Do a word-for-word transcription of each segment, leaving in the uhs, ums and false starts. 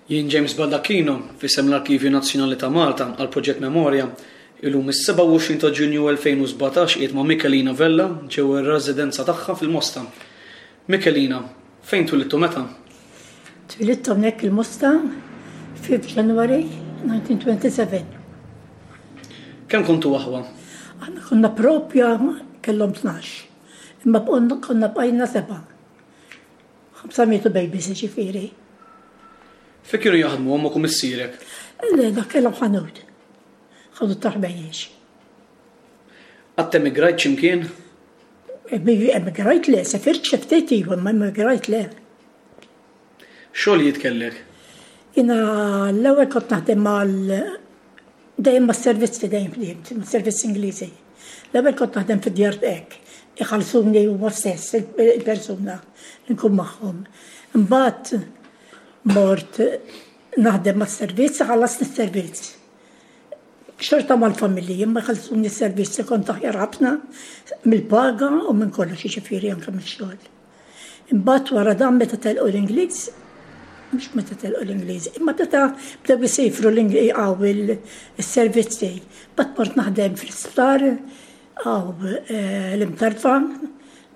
Jien James Baldacchino, f'isem l-Arkivju Nazzjonali ta' Malta għal Proġett Memorja, illum is-sebgħa u għoxrin ta' Ġunju elfejn u sbatax qiegħed ma' Michelina Vella ġewwa r-residenza tagħha fil-Mosta. Michelina, fejn twilidtu meta? Twilidt hawnhekk il-Mosta fifth January nineteen twenty-seven. Kemm kontu aħwa? Aħna konna propja kellhom tnax, imma konna bqajna seba'. Ħamsa mietu babies ġifieri. Fejn kienu jaħdmu ommok u missierek? Le, dak kellhom ħanut. Ħanut ta' ħbejjex. Qatt emigrajt x'imkien? Emigrajt le, sefirt xi ftit iva, ma emigrajt le. Xogħlijiet kellek? Jiena l-ewwel kont naħdem mal dejjem mas-servizzi dejjem ħdimt, mas-servizzi Ingliżi. L-ewwel kont naħdem fid-djar hekk, iħallsuni huma stess il-persuna li nkun magħhom. Imbagħad mort naħdem mas-servizz, ħallasni s-servizz. Xorta mal-familji, imma jħallsuni s-servizz, kont aħjar ħafna mill-paga u minn kollox, jiġifieri anke mix-xogħol. Imbagħad wara dan meta telqu l-Ingliż, mhux meta telqu l-Ingliż, imma meta bdew isifru l-Ingliż il-servizzi, mbagħad mort naħdem fl-isptar għaw l-Imtarfa,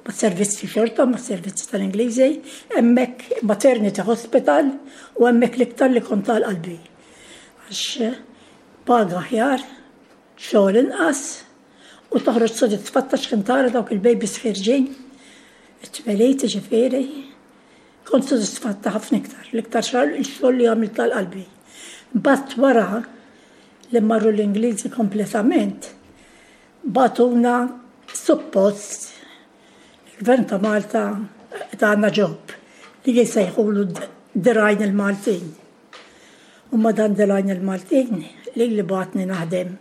mas-servizzi xorta, mas-servizzi tal-Ingliżi, hemmhekk maternity hospital u hemmhekk l-iktar li kont għal qalbi. Għax paga aħjar, xogħol inqas, u toħroġ sodisfatta x'kien tara dawk il-babies ħirġin, it-twelid ġifieri. Kont sodisfatta ħafna iktar, l-iktar xogħol li għamilt għal qalbi. Mbagħad wara li marru l-Ingliżi kompletament, bagħtuna suppost il-Gvern ta' Malta tagħna ġob li jisejħulu dirgħajn il-Maltin. U ma dan dirgħajn il-Maltin li li bagħatni naħdem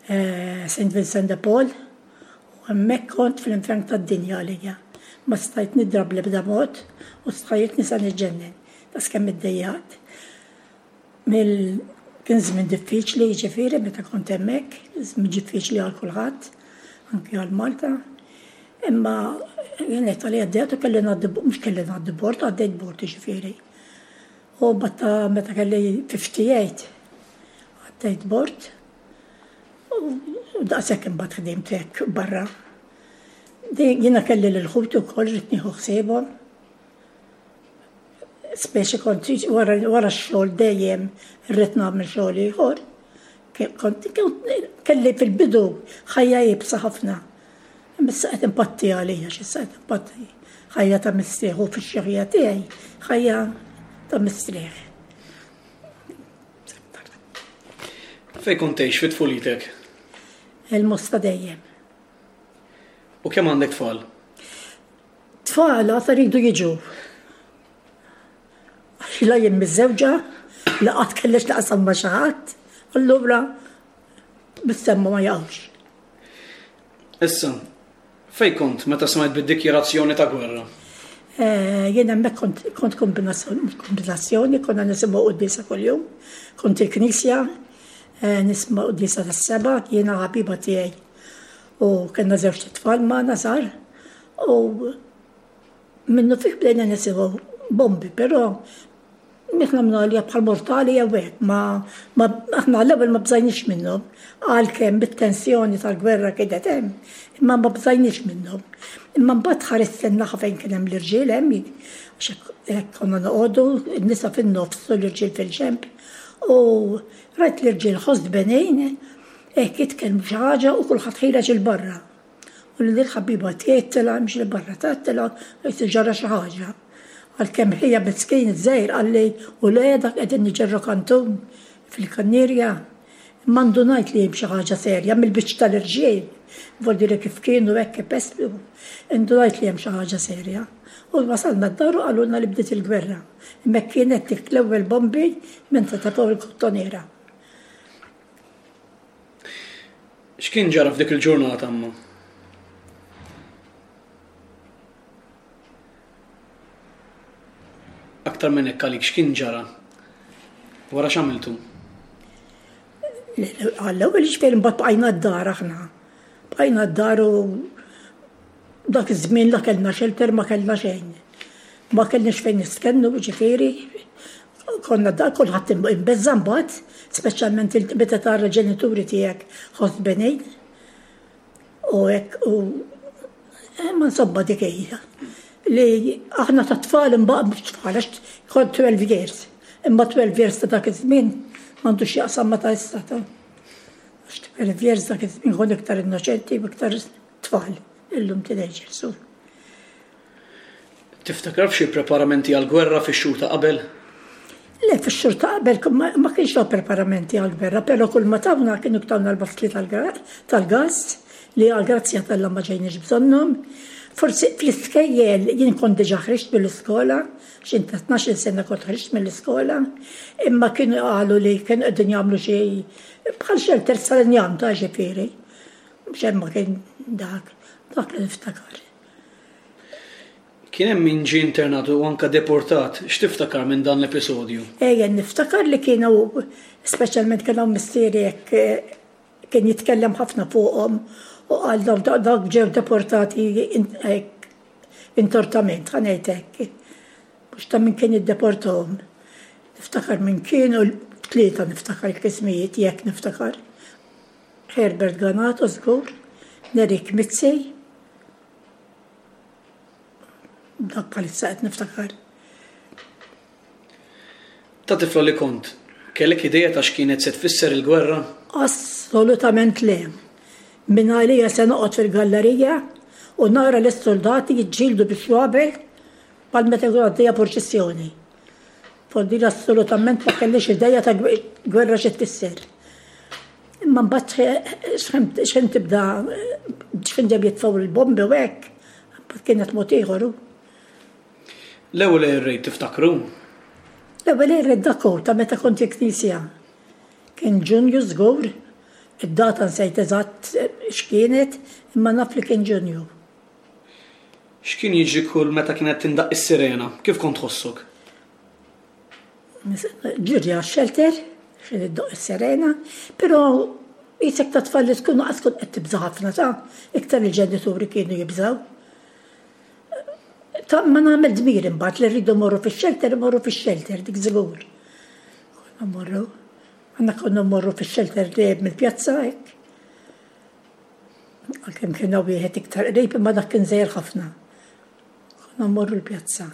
Saint Vincent de Paul u hemmhekk kont fl-infern tad-dinja għalija. Ma stajt nidrab l-ebda mod u stajt nisa niġġennen. Tas kemm iddejjaqt. Kien żmien diffiċli jiġifieri meta kont hemmhekk, żmien diffiċli għal kulħadd, anke għal Malta. Imma jien qed għalija għaddejt u kelli ngħaddi, mhux kelli ngħaddi bord, għaddejt bord jiġifieri. U batta meta kelli fifty-eight għaddejt bord u daqshekk imbagħad ħdimt hekk barra. Jiena kelli lil ħuti wkoll rid nieħu ħsiebhom. Speċi kont wara x-xogħol dejjem irrid nagħmel xogħol ieħor. Kont kelli fil-bidu ħajja iebsa ħafna. Imma issa qed impatti għalija, x'issa qed impatti. Ħajja ta' mistrieħ u fix-xogħol tiegħi ħajja ta' mistrieħ. Fejn kont tgħix fi tfulitek? Il-Mosta dejjem. U kemm għandek tfal? Tfal għad iridu jiġu. Għax la jien miżżewġa, la qatt kellix naqsam ma' xi ħadd, allura bis-semma ma jaqgħux. Issa, fejn kont meta smajt bid-dikjarazzjoni ta' gwerra? Jien hemmhekk kont, kont kombinazzjoni, konna nisimgħu quddiesa kuljum, kont il-knisja, nisma' quddiesa tas-seba', jiena ħabiba tiegħi. U kellna żewġ tfal magħna żgħar, u minnu fih bdejna nisimgħu bombi, però aħna għamlu bħal mortali jew hekk, ma, ma aħna l-ewwel ma bżajniex minnhom, għalkemm bit-tensjoni tal-gwerra kienet hemm, imma ma bżajniex minnhom. Imma mbagħad ħarist in-naħa fejn kien hemm l-irġiel hemm, għax hekk konna noqogħdu, n-nisa fin-nofs u l-irġiel fil-ġenb, u rajt l-irġiel ħoss benejn, hekk jitkellmu xi ħaġa u kulħadd ħireġ il barra. U lil ħabiba tiegħi tilha mhix il barra, tilha qed ġara xi ħaġa. Għalkemm ħija miskin iż-żgħir qalli u le dak qegħdin niġerru kantun fil-kannierja. Imma ndunajt li hemm xi ħaġa serja mill-biċċ tal-irġiel, vuol dire kif kienu hekk ipeslu, ndunajt li hemm xi ħaġa serja. U wasalna d-dar u qalulna li bdiet il-gwerra. Imma kienet dik l-ewwel bombi minn ta' fuq il-kottoniera. X'kien ġara f'dik il-ġurnata imma? Aktar minn hekk għalik x'kien ġara? Wara x'għamiltu? Għall-ewwel ġifieri mbagħad bqajna d-dar aħna. Bqajna d-dar u dak iż-żmien la kellna shelter ma kellna xejn. Ma kellniex fejn nistkennu ġifieri, Konna da kulħadd imbeżża' mbagħad, speċjalment meta tara ġenituri tiegħek ħosbenin. U hekk u ma insomma dik hija. Li aħna ta' tfal imbagħad mhux tfal għax kont twelve years. Imma twelve years ta' dak iż-żmien m'għandux x'jaqsam ma' ta' issa ta'. Għax twelve years dak iż-żmien kont iktar innoċenti u iktar tfal, illum teenagers. Tiftakar f'xi preparamenti għall-gwerra fix-xhur ta' qabel? Le, fix-xhur ta' qabel ma kienx hawn preparamenti għall-gwerra, però kull ma tawna kienu tawna l-baskli tal-gas li għall-grazzja t'Alla ma ġejniex bżonnhom. Forsi fl-iskejjel jien kont diġà ħriġt mill-iskola, x'int ta' tnax-il sena kont ħriġt mill-iskola, imma kienu qalu li kienu qegħdin jagħmlu xi bħal shelter tal-injam ta' ġifieri. Mhux hemm ma kien dak, dak li niftakar. Kien hemm min ġie internat u anke deportat, x'tiftakar minn dan l-episodju? Ejja, niftakar li kienu, speċjalment kien hawn missieri hekk kien jitkellem ħafna fuqhom u qal dawk ġew deportati hekk intortament, ħa ngħid hekk. Mhux ta' min kien iddeportahom. Niftakar min kienu, tlieta niftakar il-kismijiet, jekk niftakar. Herbert Ganato żgur, Nerik Mizzi, dak bħalissa qed niftakar. Ta' tifla li kont, kellek idea ta' x'kienet se tfisser il-gwerra? Assolutament le. Min għalija se noqgħod fil-gallerija u nara lis-soldati jiġġieldu bix-xwabel bħal meta jkun għaddejja purċissjoni. Foddir assolutament ma kellix idea ta' gwerra xi tfisser. Imma mbagħad x'ħin tibda x'ħin ġew jitfgħu l-bombi u hekk, mbagħad kienet mod ieħor. L-ewwel air raid tiftakru? L-ewwel air raid dak hu ta' meta kont il-knisja. Kien Ġunju żgur, id-data nsejt eżatt x'kienet, imma naf li kien Ġunju. X'kien jiġri kull meta kienet tindaq is-sirena? Kif kont tħossok? Ġiri għax-shelter, x'in iddoq is-sirena, però qisek ta' tfal li tkun qas tkun qed tibża' ħafna ta' iktar il-ġenituri kienu jibżgħu. Ta' ma nagħmel dmir imbagħad li rridu mmorru fix-shelter, mmorru fix-shelter, dik żgur. Konna mmorru, għandna konna mmorru fix-shelter li mill-pjazza hekk. Għalkemm kien hawn wieħed iktar qrib imma dak kien żgħir ħafna. Konna mmorru l-pjazza.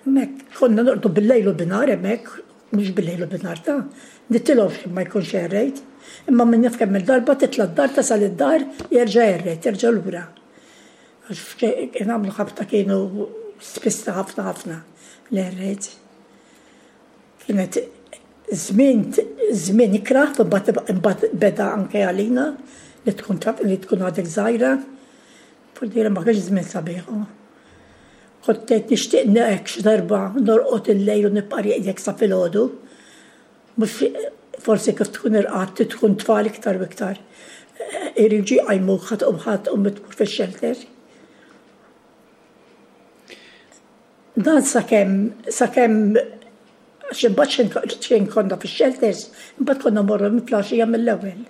Hemmhekk konna norqdu bil-lejl u binhar hemmhekk, mhux bil-lejl u binhar ta' nitilgħu x'kien ma jkunx air raid. Imma min jaf kemm il-darba titla' d-dar tasal id-dar jerġa' air raid, terġa' lura. Għax kien għamlu ħabta kienu spissa ħafna ħafna l-air raids. Kienet żmien żmien ikrah, imbagħad imbagħad beda anke għalina li tkun taf li tkun għadek żgħira. Vuol ma kienx żmien sabiħ. Kont ngħid nixtieq hekk xi darba norqod il-lejl u nibqa' rieqdek sa filgħodu. Mhux forsi kif tkun irqadt tkun tfal iktar u iktar. Iriġu jqajmuk ħadd tqum ħadd tqum tmur fix-shelter. Dan sakemm sakemm għax imbagħad xejn konna fix-shelters, imbagħad konna mmorru minn flaxija mill-ewwel.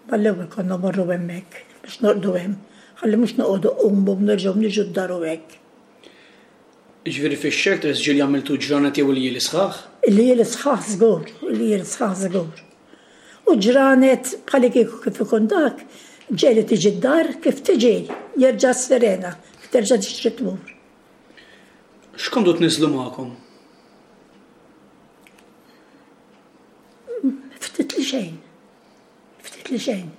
Mal-ewwel konna mmorru hemmhekk biex norqdu hemm. Ħalli mhux noqogħdu qumu nerġgħu niġu d-dar u hekk. Jiġifieri fix-shelters ġieli għamiltu ġranet jew iljieli sħaħ? Iljieli sħaħ żgur, iljieli sħaħ żgur. U ġranet bħal kieku kif ikun dak, ġieli tiġi d-dar, kif tiġi jerġa' s-sirena, terġa' tixtri tmur. X'kontu tniżżlu magħkom? Ftit li xejn. Ftit li xejn.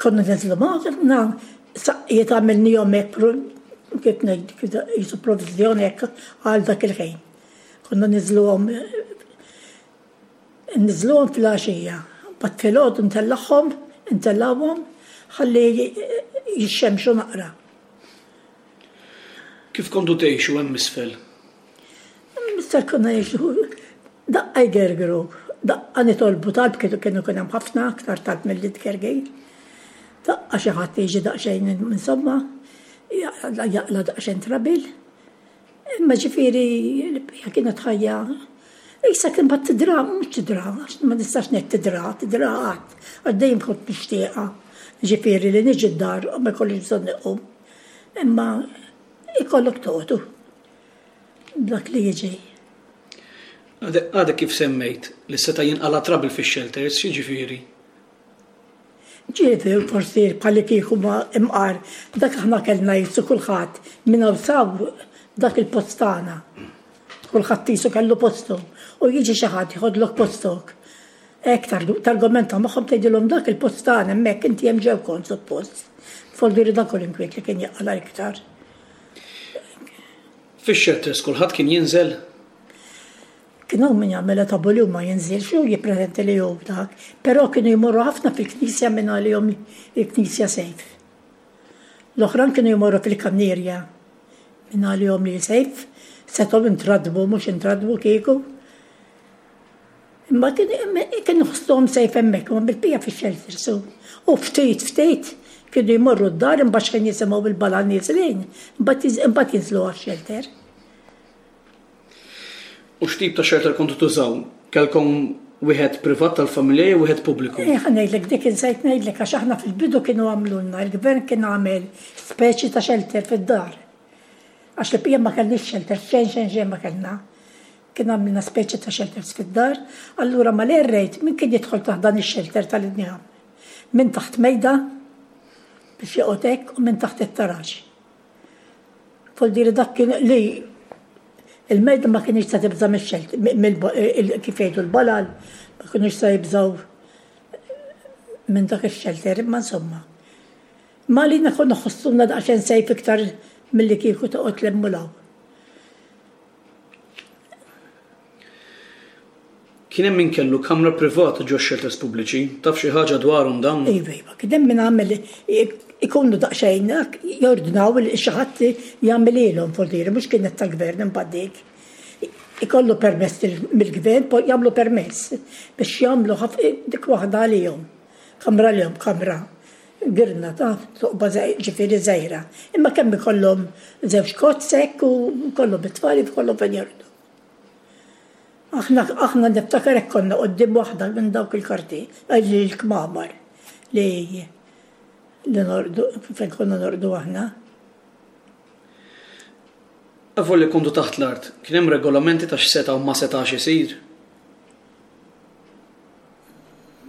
Konna niżlu magħna, saqqijiet għamilnihom hekk kif ngħid jisu provviżjoni hekk għal dak il-ħin. Konna niżluhom niżluhom fil-għaxija. Mbagħad filgħodu ntellagħhom, ntellgħuhom ħalli jixxemxu naqra. Kif kontu tgħixu hemm isfel? Hemm isfel konna ngħixu daqqa jgergru, daqqa nitolbu talb kienu kienu kien hemm ħafna aktar talb milli tgergir. Daqqa xi ħadd jiġi daqsxejn insomma, jaqla daqsxejn trabil. Imma ġifieri l-bqija kienet ħajja Issa kien bat tidra, mhux tidra, għax ma nistax ngħid tidra, tidra qatt, għax dejjem kont nixtieqha. Ġifieri li niġi d-dar u ma jkollix bżonn iqum. Imma ikollok toqgħodu. Dak li jiġi. Għadek kif semmejt li seta' jinqala' trouble fix-shelters, x'jiġifieri? Ġieli forsi bħalli kieku ma imqar, dak aħna kellna jisu kulħadd minn hawn saw dak il-post tagħna. Kulħadd jisu kellu postu u jiġi xi ħadd jħodlok postok. Hekk targumenta magħhom, tgħidilhom dak il-post tagħna hemmhekk, inti hemm ġew kont suppost. Voldiri dak l-inkwiet li kien jaqala iktar. Fix-shelters kulħadd kien jinżel? Kien hawn min jagħmel tabu li ma jinżilx u jippretendi li hu dak, però kienu jmorru ħafna fil-knisja minn għalihom il-knisja safe. L-oħrajn kienu jmorru fil-kannierja minn għalihom li safe, setgħu intradbu, mhux intradbu kieku. Imma kienu ħossuhom safe hemmhekk, ma bil-pija fix-shelter su. U ftit ftit kienu jmorru d-dar, imbagħad kien jisimgħu bil-bala niżlin, imbagħad jinżlu għax-shelter. U x'tip ta' shelter kontu tużaw? Kelkom wieħed privat tal-familja jew wieħed pubbliku? Eh, ħa ngħidlek dik insejt ngħidlek, għax aħna fil-bidu kienu għamlulna, il-gvern kien għamel speċi ta' shelter fid-dar. Għax li pija ma kellniex shelter, xejn xejn xejn ma kellna. Kien għamilna speċi ta' shelters fid-dar, allura mal-air raid min kien jidħol taħt dan ix-shelter tal-injam? Min taħt mejda biex joqgħod hekk u minn taħt it-taraġ. Voldiri dak kien li il-mejda ma kienx ta' tibża' mix-xelt, kif jgħidu l-balal, ma kienx ta' jibżaw minn dak ix-shelter, imma insomma. Ma li konna nħossuna daqsxejn safe iktar milli kieku toqgħod l-emmulaw. Kien hemm min kellu kamra privata ġo shelters pubbliċi, taf xi ħaġa dwarhom dawn? Iva, iva, kien hemm min għamel ikunu daqsxejn jordnaw li xi ħadd jagħmililhom voldiri, mhux kienet tal-gvern imbagħad dik. Ikollu permess mill-gvern, poi jagħmlu permess biex jagħmlu dik waħda għalihom. Kamra għalihom, kamra. Girna ta' toqba ġifieri żgħira. Imma kemm ikollhom żewġ kotz hekk u kollhom it-tfal ikollhom fejn jorqdu. Aħna, aħna niftakar hekk konna quddiem waħda minn dawk il-karti, il-kmamar li li norqdu, fejn konna norqdu aħna. Avolja kontu taħt l-art, kien hemm regolamenti ta' x'seta' u ma setax isir?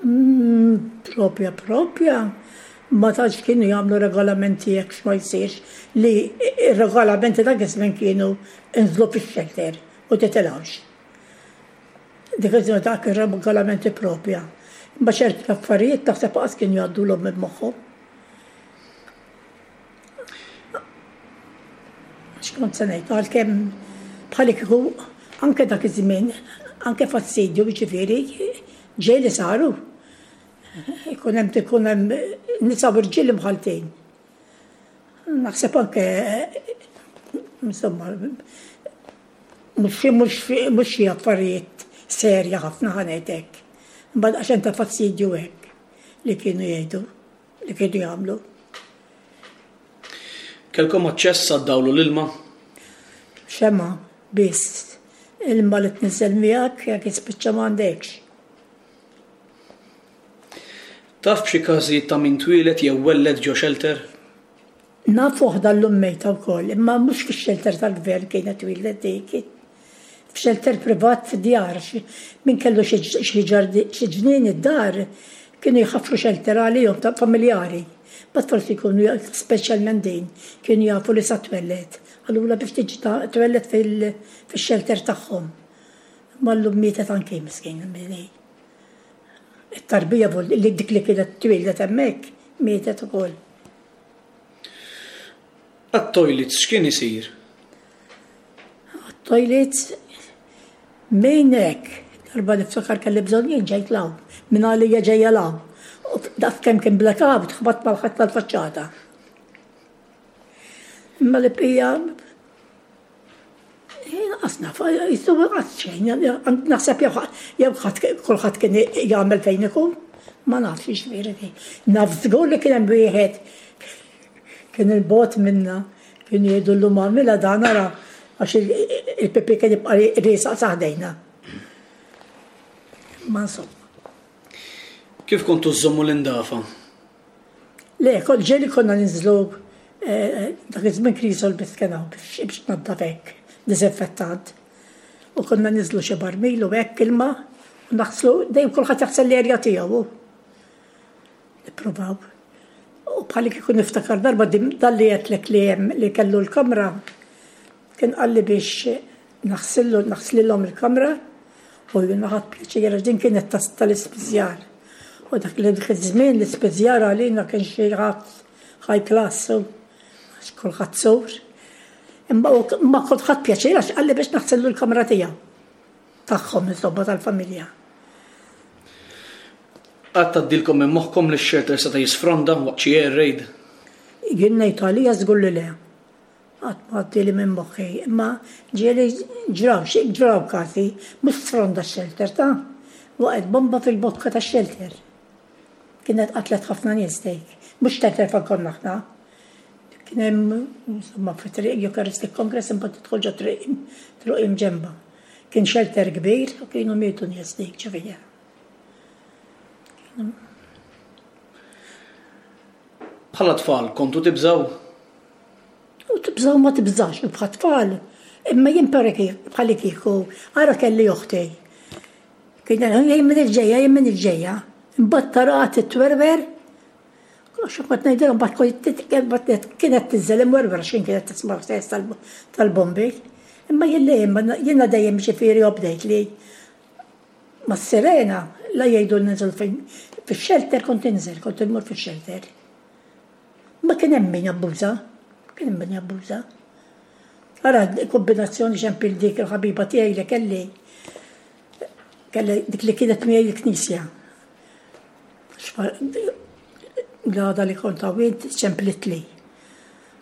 Mm, propja, propja. Ma tantx kienu jagħmlu regolamenti jekk x'ma jsirx, li ir-regolamenti dak iż-żmien kienu inżlu fix-shelter u titilgħux. Dik iż-żmien dak ir-regolamenti propja. Imma ċerti affarijiet taħseb qas kienu jgħaddulhom minn moħħhom. X'kont se ngħid, għalkemm bħal kieku anke dak iż-żmien, anke fastidju jiġifieri, ġej li saru. Ikun hemm ikun hemm nisa u rġiel imħaltin. Naħseb anke, insomma, mhux mhux mhux xi affarijiet serja ħafna ħa ngħid hekk. Imbagħad għax ta' fastidju hekk li kienu jgħidu, li kienu jagħmlu. Kelkom aċċess għad-dawl u l-ilma? Xema, biss. Ilma li tniżel miegħek jekk jispiċċa m'għandekx. Taf b'xi każijiet ta' min twieled jew welled ġo shelter? Naf waħda llum mejta wkoll, imma mhux fix-shelter tal-gvern kienet twieldet dik. F'shelter privat fid-djar, min kellu xi ġnien id-dar kienu jħaffru shelter għalihom ta' familjari. Bat forsi jkunu speċjalment din, kienu jafu li sa twelled. Allura biex tiġi twelled fil-shelter tagħhom. Ma llum mietet anke miskin. It-tarbija li dik li kienet twieldet hemmhekk mietet ukoll. Għat-toilets x'kien isir? Għat-toilets minn hekk, darba niftakar kelli bżonn jien ġejt 'l hawn, minn għalija ġejja 'l hawn. U daf kemm kien blackout, ħbatt mal-ħadd tal-faċċata. Imma li pija qas naf, jisu qas xejn, naħseb jew ħadd kulħadd kien jagħmel fejn ikun, ma nafx jiġifieri. Naf żgur li kien hemm wieħed kien il-bot minna, kien jgħidu llum għamilha dan ara għax il-pipi kien jibqa' riesaq saħdejna. Ma insomma. Kif kontu żommu l-indafa? Le, kol ġeli konna ninżlu, eh, dak iż-żmien krisol biss kien hawn biex tnaddaf hekk. disinfettant. U konna niżlu xi barmil u hekk ilma u naħslu, dejjem kulħadd jaħsel l-erja tiegħu. Nippruvaw. U bħalli kieku niftakar darba dalli għedtlek li hemm li kellu l-kamra, kien qalli biex naħsillu naħslilhom il-kamra u jiena ħadt pjaċir għax din kienet tal-ispiżjar. U dak li dak iż-żmien l-ispiżjar għalina kien xi ħadd high class u għax kulħadd sur. Imma ma kont ħadt pjaċir għax qalli biex naħsillu l-kamra tiegħu. Tagħhom insomma tal-familja. Qatt għaddielkom minn moħħkom li x-shelter seta' jisfronda waqt xi air raid? Jien ngħid għalija żgur li le. Qatt ma għaddieli minn moħħi, imma ġieli ġraw xi ġraw każi, mhux sfronda x-shelter ta' waqgħet bomba fil-bokka tax-shelter. Kienet qatlet ħafna nies dik. Mhux shelter fejn konna aħna. Kien hemm insomma fi triq Eucharistic Congress imbagħad tidħol ġo triq triq imġemba. Kien shelter kbir u kienu mietu nies dik ġifieri. Bħala tfal kontu tibżaw? U tibżaw ma tibżax, u bħal tfal. Imma jien bħali kieku, ara kelli oħti. Kien jien minn il-ġejja, jien minn il-ġejja. Imbagħad taraha titwerwer. Għax kont ngħidilhom mbagħad kienet tinżel imwerwer għax kienet tisma' stess tal-bombi. Imma jien le, jiena dejjem ġifieri obdejt li mas-sirena la jgħidu ninżel fejn fix-shelter kont inżel, kont immur fix-shelter. Ma kien hemm min jabbuża, kien hemm min jabbuża. Ara kombinazzjoni xempil dik il-ħabiba tiegħi li kelli kelli dik li kienet miegħi l-knisja. L-għada li kont għawint ċemplitli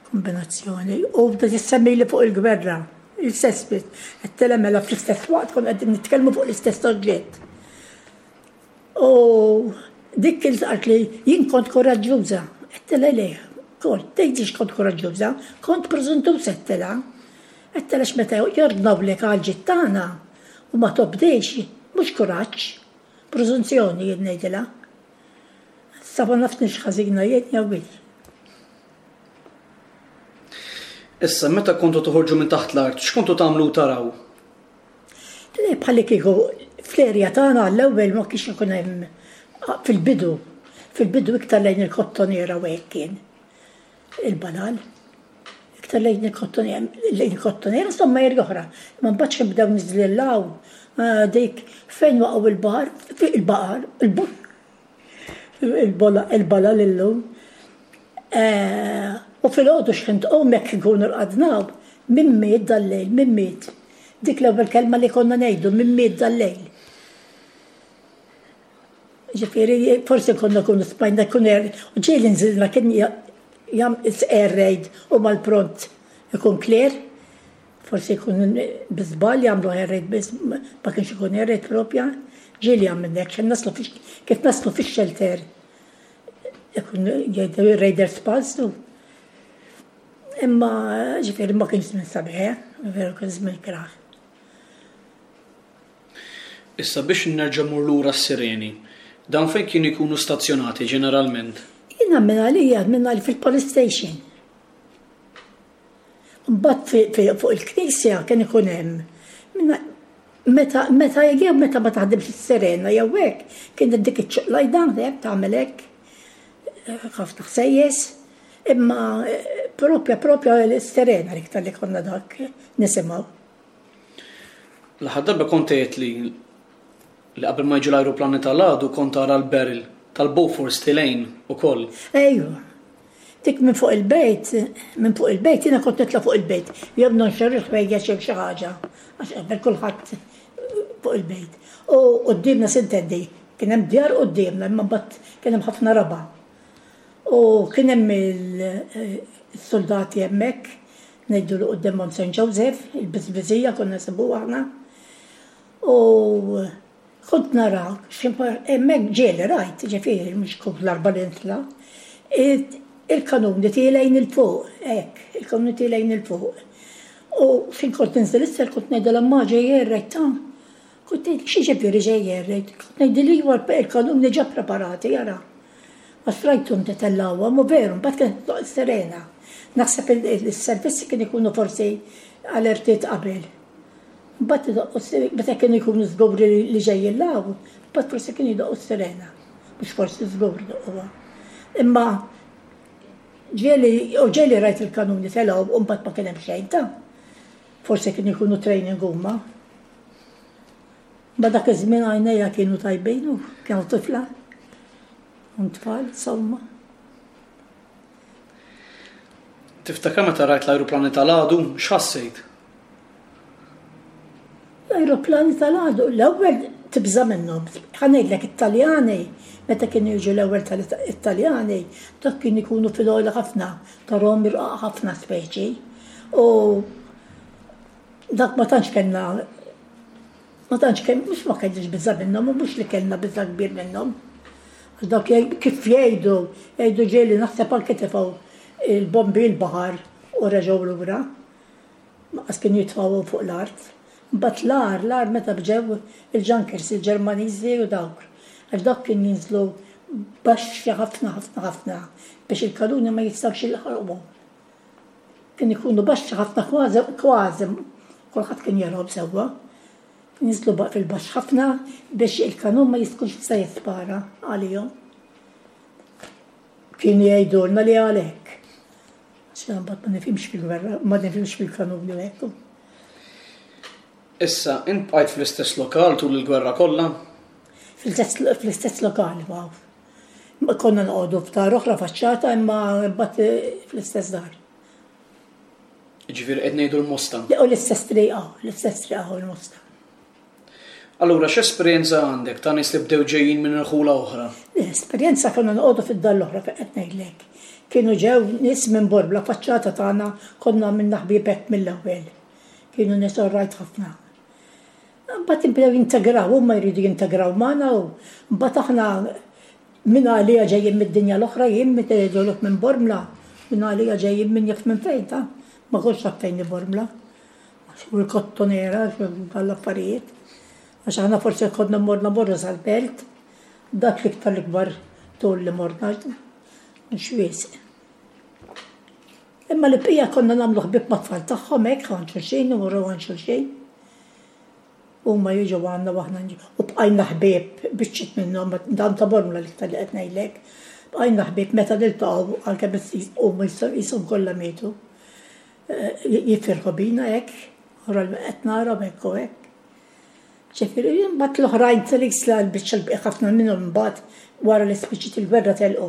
kombinazzjoni. U bda tissemmi li fuq il-gwerra, il-istess bit, għedtilha mela fl-istess waqt konna qegħdin nitkellmu fuq l-istess oġġett. U dik kien qalt li jien kont koraġġuża. Għedtilha le, kont, tgħidix kont koraġġuża, kont preżuntuża għedtilha. Għedtilha x'meta jordnawlek għal ġid tagħna u ma tobdejx, mhux kuraġġ, preżunzjoni jien ngħidilha. Issa ma nafx nix ħażina jien jew hi. Issa, meta kontu toħorġu minn taħt l-art, x'kontu tagħmlu u taraw? Le, bħalli kieku fl-erja tagħna għall-ewwel ma kienx ikun hemm fil-bidu, fil-bidu iktar lejn il-kottoniera u hekk kien il-balal. Iktar lejn il-kottoniera, lejn il-kottoniera insomma erja oħra. Ma mbagħad xi bdew niżlillaw dik fejn waqgħu il-baħar, il-baqar, il-balal illum. U fil-għodu xħin tqum jekk nkunu rqadnaw, min miet dal-lejl, min miet. Dik l-ewwel kelma li konna ngħidu, min miet dal-lejl. Ġifieri, forsi konna nkunu smajna jkun air, u ġieli nżilna kien jam air raid u mal-pront ikun clear, forsi jkun bi żball jagħmlu air raid biss, ma kienx ikun air raid propja, ġieli għamilna hekk, naslu kif naslu fix-shelter ikun jgħidu raiders pass. Imma ġifieri ma kienx żmien sabiħ, veru kien żmien kraħ. Issa biex nerġa' mmur lura s-sireni, dan fejn kienu jkunu stazzjonati ġeneralment? Jiena minn għalija, minn għalija fil-police station. Mbagħad fuq il-knisja kien ikun hemm. Meta meta jew meta ma taħdimx is-sirena jew hekk, kien dik iċ-ċuqlajda hekk tagħmel hekk, ħafna ħsejjes. Imma propja propja l-sirena l-iktar li konna dak nisimgħu. L-aħħar darba kont għedt li li qabel ma jiġu l-ajruplani tal-għadu kont tara l-barrel tal-Bofors tilejn ukoll. Ejwa. Dik minn fuq il-bejt, minn fuq il-bejt, jiena kont nitla' fuq il-bejt. Jew nonxer il-ħwejjeġ jew xi ħaġa, għax qabel kulħadd fuq il-bejt. U quddiemna s'intendi, kien hemm djar quddiemna, imma mbagħad kien hemm ħafna raba'. U kien hemm il-soldati hemmhekk, ngħidu li quddiem Mount Saint Joseph, il-biżbiżija konna nsibuha aħna. U kont nara hemmhekk ġieli rajt, ġifieri mhux kull darba li nitla', il-kanuni tielgħin il fuq, hekk, il-kanuni tielgħin il fuq. U fin kont ninżel isfel kont ngħidilha ma ġej air raid ta'. Kont ngħid xi ġifieri ġej air raid, kont ngħidilha iva il-kanuni ġa preparati ara. Għax rajthom titellgħuhom u veru, mbagħad kienet toqgħod serena. Naħseb il-servizzi kien ikunu forsi Alertiet qabel. Mbagħad idoqqu s-sirena, meta kienu jkunu żguri li ġejjin law, mbagħad forsi kienu jdoqqu s-sirena. Mhux forsi żgur idoqquha. Imma ġieli, u ġieli rajt il-kanuni telgħu u mbagħad ma kien hemm xejn ta'. Forsi kienu jkunu training huma. Ma dak iż-żmien għajnejja kienu tajbin u kienu tifla. Un tfal, insomma. Tiftakar meta rajt l-ajruplani tal-għadu, x'ħassejt? L-ajruplani tal-għadu, l-ewwel tibża' minnhom. Ħa ngħidlek it-Taljani, meta kienu jiġu l-ewwel tal-Italjani, dak kienu jkunu fil-għoli ħafna, tarahom irqaq ħafna speċi. U dak ma tantx kellna ma tantx kemm mhux ma kellniex biża' minnhom u mhux li kellna biża' kbir minnhom. Għax dak kif jgħidu, jgħidu ġieli naħseb anke tefgħu il-bombi l-baħar u reġgħu lura. Maqas kienu jitfgħuhom fuq l-art. Mbagħad l-agħar, l-agħar meta bġew il-Junkers, il-Ġermaniżi u dawk. Għax dawk kien jinżlu baxxi ħafna ħafna ħafna biex il-kanuni ma jistgħux jilħquhom. Kien ikunu baxxi ħafna kważi kważi kulħadd kien jarahom sewwa. Jinżlu fil-baxx ħafna biex il-kanun ma jistgħux jista' jispara għalihom. Kienu jgħidulna li għalhekk. Għax mbagħad ma nifhimx fil-gwerra, ma nifhimx fil-kanuni u hekk. Issa, int bqajt fl-istess lokal tul il-gwerra kollha? Fl-istess lokal, wow. Konna noqogħdu f'dar oħra faċċata imma mbagħad fl-istess dar. Ġifieri qed ngħidu l-Mosta. U l-istess triqa, l-istess triqa u l-Mosta. Allura x'esperjenza għandek ta' nies li bdew ġejjin minn irħula oħra? L-esperjenza konna noqogħdu fid-dar l-oħra fejn qed ngħidlek. Kienu ġew nies minn Borbla faċċata tagħna konna għamilna ħbieb hekk mill-ewwel. Kienu nies orrajt ħafna. Mbagħad ibdew jintegraw, huma jridu jintegraw magħna u mbagħad aħna minn għalija ġejjin mid-dinja l-oħra jien meta jgħidulek minn Bormla, minn għalija ġejjin minn jaf minn fejn ta' ma kontx naf fejn hi Bormla. U l-kottonera, l-affarijiet. Għax aħna forsi konna morna morna sal-belt, dak l-iktar l-ikbar tul li morna, mhux wisq. Imma li bqija konna nagħmlu ħbieb mat-tfal tagħhom hekk għand xulxin, imorru għand xulxin. Huma jiġu għandna u aħna nġu. U bqajna ħbieb biċċiet minnhom, dan ta' Bormla l-iktar li qed ngħidlek. Bqajna ħbieb meta niltaqgħu anke huma qishom kollha mietu. Jifirħu bina hekk, wara qed narahom hekk u hekk. Ġifieri, mbagħad l-oħrajn tal-isla l-biċċa l-bqija ħafna minnhom imbagħad wara li spiċċiet il-gwerra telqu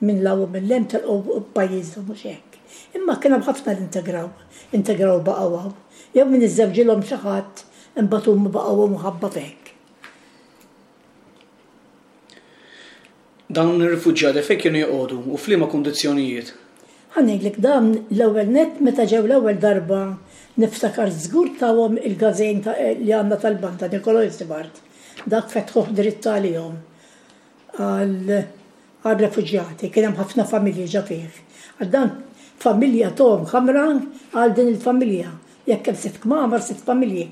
minn law u minn lem telqu pajjiżhom mhux hekk. Imma kien hemm ħafna li integraw, integraw baqgħu hawn. Jew min iżżewġilhom xi ħadd imbagħad huma baqgħu mħabba f'hekk. Dawn ir-rifuġjati fejn kienu joqogħdu u f'liema kundizzjonijiet? Ħa ngħidlek dan l-ewwel nett meta ġew l-ewwel darba niftakar żgur tawhom il-gazejn li għandna tal-banda Nicolò Isibart. Dak fetħuh dritt għalihom għal-refuġjati, kien hemm ħafna familji ġa fih. Għal dan familja tuhom kamra għal din il-familja. Jekk hemm sitt kmamar, sitt familji.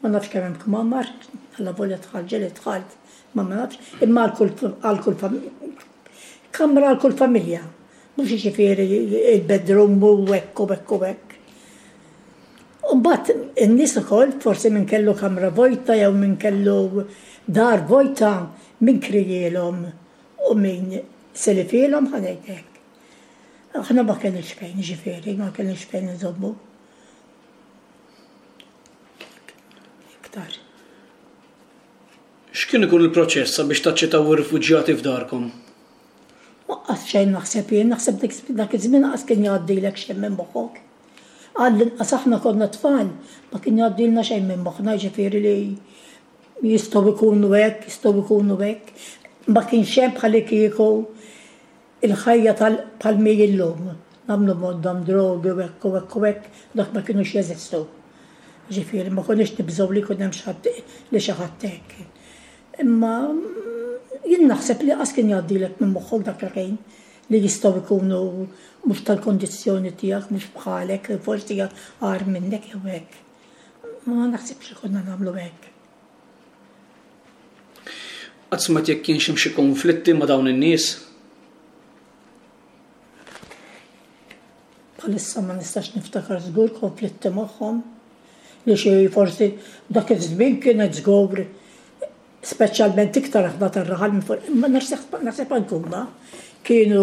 Ma nafx kemm hemm kmamar, alla volja dħalt ġieli dħalt, ma ma nafx, imma għal kull kamra għal kull familja. Mhux jiġifieri il-bedroom u hekk u hekk u hekk. U mbagħad in-nies ukoll forsi min kellu kamra vojta jew min kellu dar vojta min krijielhom u min selifilhom ħa ngħid hekk. Aħna ma kellniex fejn jiġifieri, ma kellniex fejn inżommu. Iktar. X'kien ikun il-proċess sabiex taċċettaw ir-rifuġjati f'darkom? Waqqas xejn naħseb jien, naħseb dak iż-żmien qas kien jgħaddilek xejn minn moħħok. Għall-inqas aħna konna tfal, ma kien jgħaddilna xejn minn moħħna, jiġifieri li jistgħu jkunu hekk, jistgħu jkunu hekk. Ma kienx hemm bħal kieku il-ħajja tal mi illum. Nagħmlu moddhom drogi u hekk u hekk u hekk, dak ma kinux jeżistu. Ġifieri ma konniex nibżgħu li jkun hemm xi ħadd li xi ħadd hekk. Imma jien naħseb li qas kien jgħaddilek minn moħħok dak il-ħin li jistgħu jkunu mhux tal-kondizzjoni tiegħek, mhux bħalek, forsi agħar minnek jew hekk. Ma naħsibx li konna nagħmlu hekk. Qatt smajt jekk kienx hemm xi konflitti ma' dawn in-nies? Bħalissa ma nistax niftakar żgur konflitti magħhom li xi forsi dak iż-żmien kienet żgur, speċjalment iktar aħna tar-raħal minn fuq, ma naħseb anke huma kienu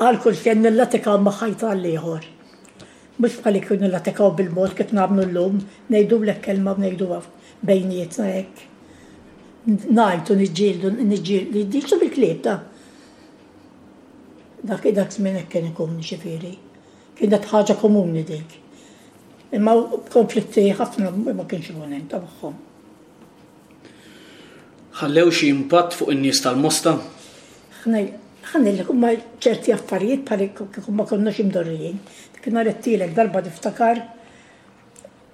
għal kull kien nillatikaw ma' ħajta għal ieħor. Mhux bħal kienu nillatikaw bil-mod kif nagħmlu llum, ngħidulek kelma u ngħiduha bejnietna hekk. Ngħajtu, niġġieldu, niġġieldu, niġġieldu bil-klieb ta' dak dak żmien hekk kien ikun, ġifieri. Kienet ħaġa komuni dik. Imma konflitti ħafna ma kienx ikun hemm ta' magħhom. Ħallew xi impatt fuq in-nies tal-Mosta? Ħa ngħidlek, huma ċerti affarijiet bħal kieku ma konniex imdorrijin. Kien għedtlek darba, niftakar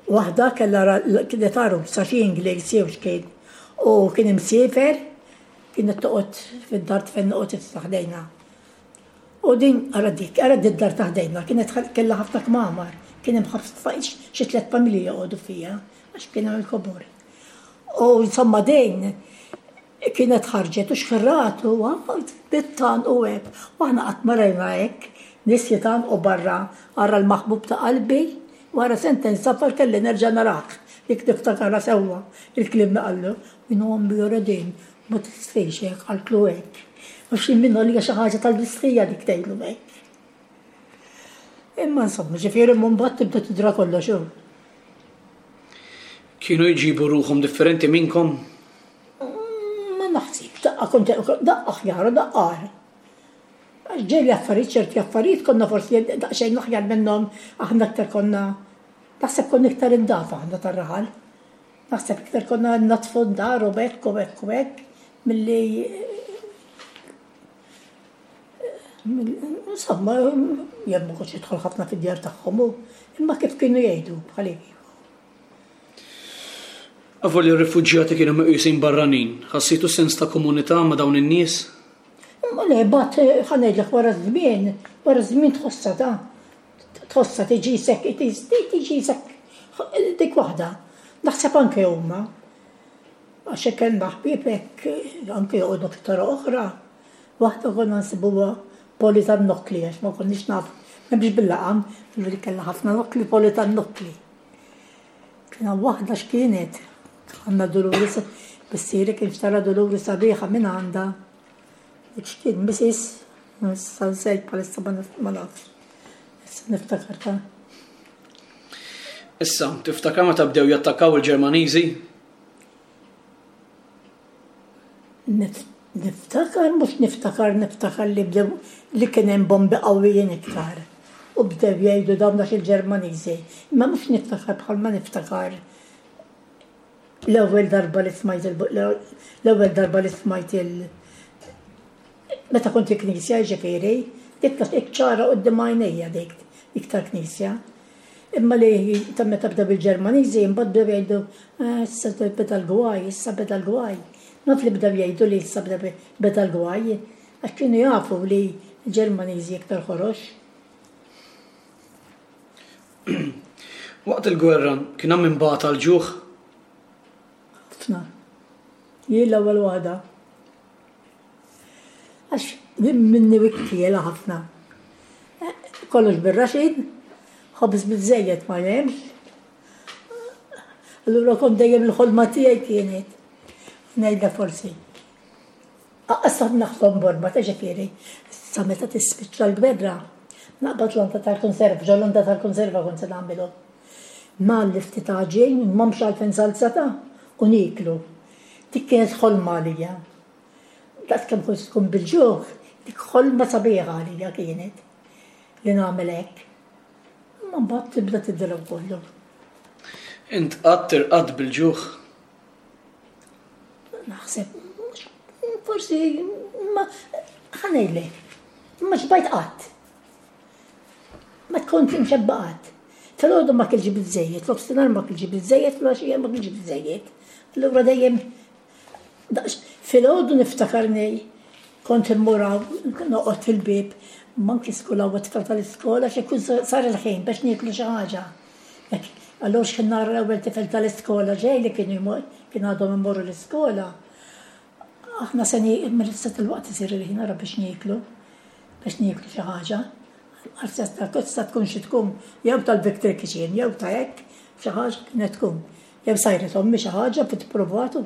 waħda kellha, kienet għarusa xi Ingliż jew x'kien u kien imsiefer, kienet toqgħod fid-dar fejn noqgħod issa ħdejna. U din, ara dik, ara d-dar ta' ħdejna, kienet kellha ħafna kmamar, kien hemm ħafna, xi tliet familji joqogħdu fiha, għax kien hemm il-kobor. U insomma din kienet ħarġet u xħirratu, bittan u hekk. U aħna qatt ma rajna hekk, nies jitgħannqu barra, ara l-maħbub ta' qalbi, wara sentejn safar kelli nerġa' narak. Dik niftakarha sewwa, il-kliem li qallu, "Minn għombi jora din, ma tistħix hekk," qaltlu hekk. Għax minnu li xi ħaġa tal-mistħija dik tgħidlu hekk. Imma insomma, ġifieri mbagħad tibda tidra kollox hu. Kienu jġibu ruħhom differenti minnkom? Ma naħsib, daqqa kont daqqa aħjar u daqqa agħar. Għax ġieli affarijiet, ċerti affarijiet konna forsi daqsxejn aħjar minnhom, aħna aktar konna, naħseb konna iktar indafa aħna tar-raħal. Naħseb iktar konna natfu d-dar u hekk u hekk u hekk milli, insomma, jien ma kontx nidħol ħafna fid-djar tagħhom, imma kif kienu jgħidu bħali. Avolja r-rifuġjati kienu meqjusin barranin, ħassejtu sens ta' komunità ma' dawn in-nies? Ma le, bat, ħa ngħidlek, wara żmien, wara żmien tħossha ta' tħossha tiġi sek, tiġi sek, dik waħda. Naħseb anke huma. Għax hekk kellna ħbieb hekk anke joqogħdu fit-toroq oħra. Waħda konna nsibuha Poli tan-Nokkli, għax ma konniex naf, m'hemmx bil-laqam, li kellha ħafna nokkli, Poli tan-Nokkli. Kien hawn waħda x'kienet, għandna Duluri, missieri kien xtara Duluri sabiħa minn għandha. Dik x'kien, Missis, issa nsejt bħalissa, ma nafx. Issa niftakar ta' Issa, tiftakar meta bdew jattakkaw il-Ġermaniżi? Niftakar, mhux niftakar, niftakar li bdew li kien hemm bombi qawwijin iktar. U bdew jgħidu dawn għax il-Ġermaniżi. Imma mhux niftakar bħalma niftakar l-ewwel darba li smajt il- l-ewwel darba li smajt il meta kont il-knisja, ġifieri, dik dik ċara quddiem għajnejja, dik dik tal-knisja. Imma li ta' meta bdew il-Ġermaniżi, imbagħad bdew jgħidu, "Ah, issa beda l-gwaj, issa beda l-gwaj." Naf li bdew jgħidu li issa beda l-gwaj, għax kienu jafu li l-Ġermaniżi iktar ħorox. Waqt il-gwerra kien hemm min bata l-ġuħ? Ħafna. Jien l-ewwel waħda. Għax minni wikkiela ħafna. Kollox bir-raxin, ħobż biżejjed ma hemmx. Allura kont dejjem il-ħolma tiegħi kienet. Ngħidha forsi. Aqas naħlom borma ta', ġifieri. Sa meta tispiċċa l-gwerra, naqbad landa tal-konserva, ġo landa tal-konserva kont se nagħmilhom. Ngħalli ftit għaġin, m'hemmx għalfejn salza ta' u nieklu. Dik kienet ħolma għalija. Daqs kemm kont tkun bil-ġuħ, dik ħolma sabiħa għalija kienet li nagħmel hekk. Imma mbagħad tibda tidra kollu. Int qatt irqadt bil-ġuħ? Naħseb, forsi, ma ħa ngħidlek, ma xbajt qatt. Ma tkun imxebba qatt. Filgħodu ma kilx biżejjed, f'nofsinhar ma kilx biżejjed, filgħaxija ma kilx biżejjed. Allura dejjem filgħodu niftakarni kont immur noqgħod fil-bieb, manki skola u tfal tal-iskola, xi jkun sar il-ħin biex nieklu xi ħaġa. Allura x'kien nara l-ewwel tifel tal-iskola ġej li kienu kien għadhom imorru l-iskola. Aħna se mill-istat il-waqt isir il-ħin ara biex nieklu, biex nieklu xi ħaġa. Għal tista' tkun xi tkun jew tal-Victory Kitchen, jew ta' hekk, xi ħaġa kienet tkun. Jew sajret ommi xi ħaġa fit provatu.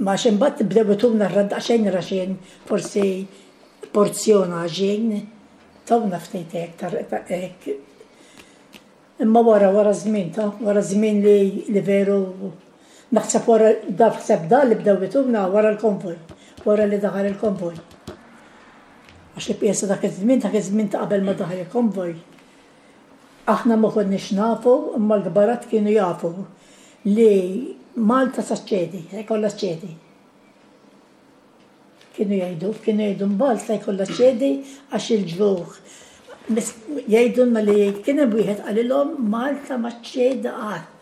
Ma imbagħad bdew ituna daqsxejn raxin, forsi porzjon għaġin, tawna ftit hekk ta' hekk. Imma wara wara żmien ta' wara żmien li, li veru naħseb wara da ħseb da li bdew ituna wara l-konvoj, wara li daħal il-konvoj. Għax li pjesa dak iż-żmien, dak iż-żmien ta' qabel ma daħal il-konvoj. Aħna ma konniex nafu, imma l-kbarat kienu jafu li Malta sa ċedi, se jkollha ċedi. Kienu jgħidu, kienu jgħidu Malta jkollha ċedi għax il-ġuħ. Jgħidu ma li kien hemm wieħed qalilhom Malta ma ċċedi qatt.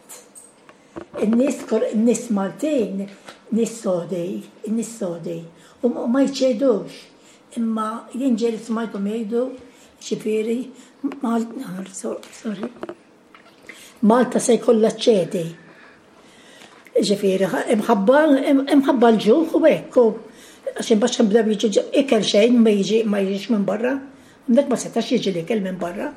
In-nies in-nies Maltin, nies sodi, in-nies sodi, u ma jċedux. Imma jien ġieli smajthom jgħidu, ġifieri, sorry, Malta se jkollha ċedi. Ġifieri, imħabba imħabba l-ġuħ u hekk, u għax imbagħad bdew jiġu ikel xejn ma jiġi ma jiġix minn barra. Dak ma setax jiġi l-ikel minn barra.